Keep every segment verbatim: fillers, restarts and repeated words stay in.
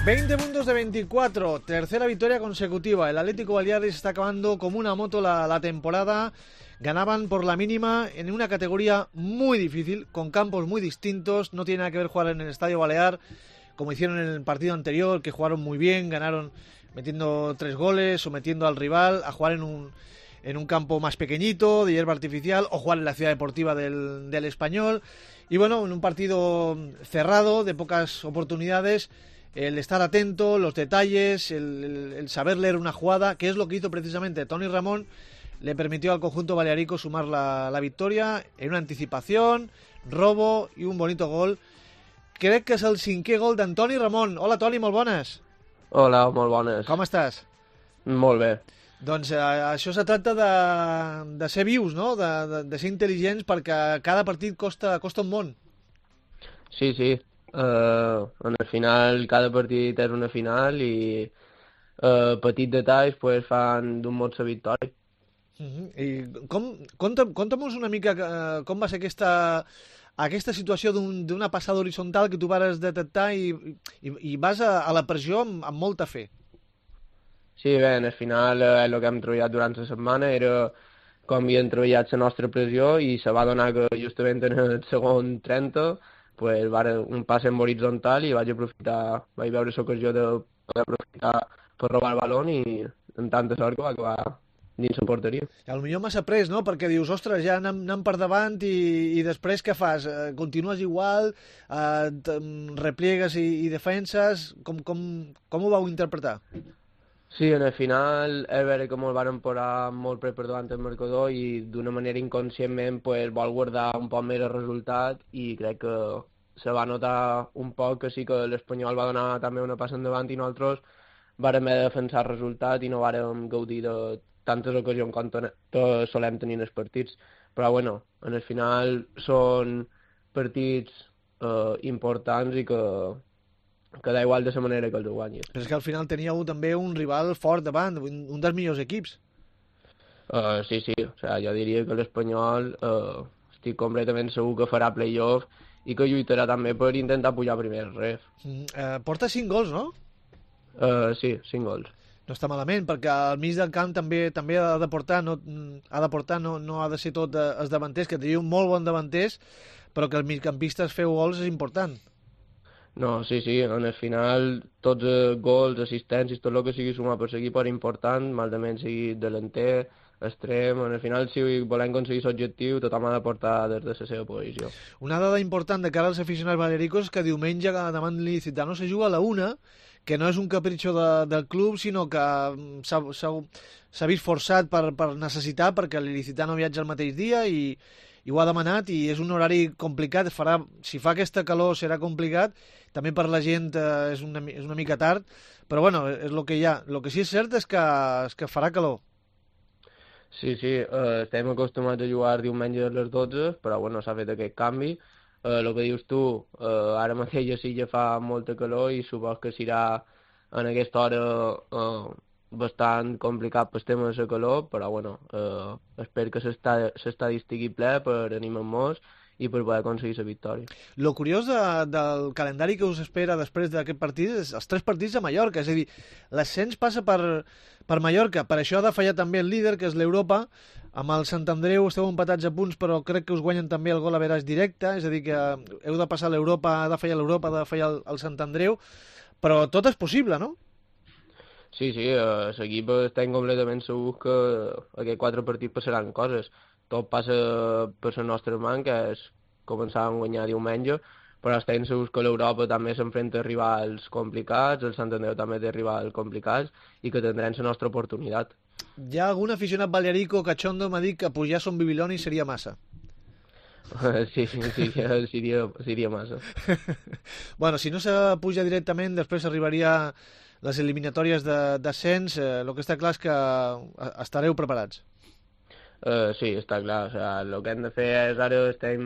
veinte puntos de veinticuatro, tercera victoria consecutiva. El Atlético Baleares está acabando como una moto la, la temporada. Ganaban por la mínima en una categoría muy difícil, con campos muy distintos. No tiene nada que ver jugar en el Estadio Balear, como hicieron en el partido anterior, que jugaron muy bien, ganaron metiendo tres goles, sometiendo al rival, a jugar en un, en un campo más pequeñito, de hierba artificial, o jugar en la ciudad deportiva del, del Español. Y bueno, en un partido cerrado, de pocas oportunidades. El estar atento, los detalles, el, el, el saber leer una jugada, que es lo que hizo precisamente Toni Ramón, le permitió al conjunto balearico sumar la, la victoria en una anticipación, robo i un bonito gol. Crec que és el cinquè gol d'Antoni Ramón. Hola, Toni, molt bones. Hola, molt bones. Com estàs? Molt bé. Doncs eh, això se tracta de, de ser vius, no? De, de, de ser intel·ligents, perquè cada partit costa, costa un món. Sí, sí. Uh, en el final, cada partit és una final i uh, petits detalls pues, fan d'un mot la victòria. Uh-huh. I com, conta'm, conta'm-nos una mica uh, com va ser aquesta, aquesta situació d'una un, passada horitzontal que tu vas detectar i, i, i vas a, a la pressió amb, amb molta fe. Sí, bé, al final eh, el que hem treballat durant la setmana era com havíem treballat la nostra pressió i se va donar que justament en el segon trenta pues, va un pas en horitzontal i vaig aprofitar, vaig veure l'ocasió de poder aprofitar per robar el balón i en tanta sort que va acabar dins la porteria. A lo millor m'has après, no? Perquè dius, ostres, ja anem, anem per davant i, i després què fas? Eh, continues igual, eh, repliegues i, i defenses, com, com, com ho vau interpretar? Sí, en el final és vera que molt van posar molt près per davant el marcador i d'una manera inconscientment pues, vol guardar un poc més el resultat i crec que se va notar un poc que sí que l'Espanyol va donar també una passa endavant i nosaltres vàrem haver de defensar el resultat i no vàrem gaudir de tantes ocasions com solem tenir en els partits. Però bueno, en el final són partits eh, importants i que que da igual de la manera que els guanyis. Però és que al final teníeu també un rival fort davant, un, un dels millors equips. Uh, sí, sí, o sea, jo diria que l'Espanyol uh, estic completament segur que farà play-off i que lluitarà també per intentar pujar primer al ref. Mm, eh, porta cinc gols, no? Uh, sí, cinc gols. No està malament, perquè al mig del camp també també ha de portar, no, ha de portar, no, no ha de ser tot eh, els davanters, que teniu molt bon davanters, però que els migcampistes feu gols és important. No, sí, sí, en el final tots els gols, assistències, tot el que sigui sumar per l'equip és important, malament sigui delanter, extrem, en el final si volem aconseguir l'objectiu tothom ha de portar des de la seva posició. Una dada important de cara als aficionats balearicos és que diumenge davant l'Ilicitano se juga a la una, que no és un capritxo de, del club, sinó que s'ha vist forçat per, per necessitar, perquè l'Ilicitano viatja el mateix dia i, i ho ha demanat, i és un horari complicat, farà, si fa aquesta calor serà complicat, també per la gent eh, és, una, és una mica tard, però bueno, és el que hi ha. El que sí és cert és que, és que farà calor. Sí, sí, eh, estem acostumats a jugar diumenge a les dotze, però bueno, s'ha fet aquest canvi. Eh, el que dius tu, eh, ara mateix a Silla fa molta calor i supos que serà en aquesta hora eh, bastant complicat pel tema de la calor, però bueno, eh, espero que s'estadi estigui ple per animar-nos i per poder aconseguir la victòria. Lo curiós de, del calendari que us espera després d'aquest partit és els tres partits a Mallorca, és a dir, l'ascens passa per, per Mallorca, per això ha de fallar també el líder, que és l'Europa. Amb el Sant Andreu esteu empatats a punts, però crec que us guanyen també el gol a veràs directe, és a dir, que heu de passar l'Europa, ha de fallar l'Europa, ha de fallar el, el Sant Andreu, però tot és possible, no? Sí, sí, a l'equip estem completament segurs que aquests quatre partits passaran coses. Tot passa per la nostra mà, que és començar a guanyar diumenge, però estem segurs que l'Europa també s'enfrenta a rivals complicats, el Sant Andreu també té rivals complicats i que tindrem la nostra oportunitat. Hi ha algun aficionat balearico cachondo m'ha dit que pujar a Son Bibiloni seria massa. Sí, sí, sí, seria, seria massa. Bueno, si no se puja directament, després arribaria les eliminatòries d'ascens, eh, el que està clar és que estareu preparats. Uh, sí, està clar. O sea, el que hem de fer és ara estem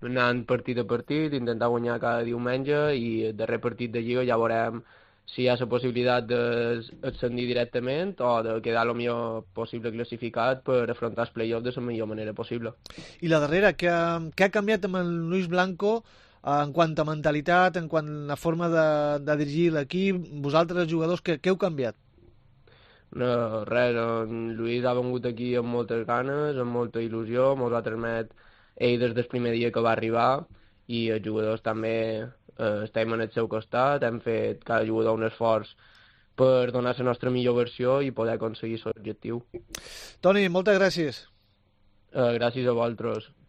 anant partit a partit, intentar guanyar cada diumenge i el darrer partit de Lliga ja veurem si hi ha la possibilitat d'ascendir directament o de quedar el millor possible classificat per afrontar els play-offs de la millor manera possible. I la darrera, què ha, què ha canviat amb el Luis Blanco en quant a mentalitat, en quant a la forma de, de dirigir l'equip, vosaltres jugadors, què, què heu canviat? No, res, en Lluís ha vengut aquí amb moltes ganes, amb molta il·lusió, mos ha transmet ell des del primer dia que va arribar i els jugadors també eh, estem en el seu costat, hem fet cada jugador un esforç per donar la nostra millor versió i poder aconseguir l'objectiu. Toni, moltes gràcies. Eh, gràcies a vosaltres.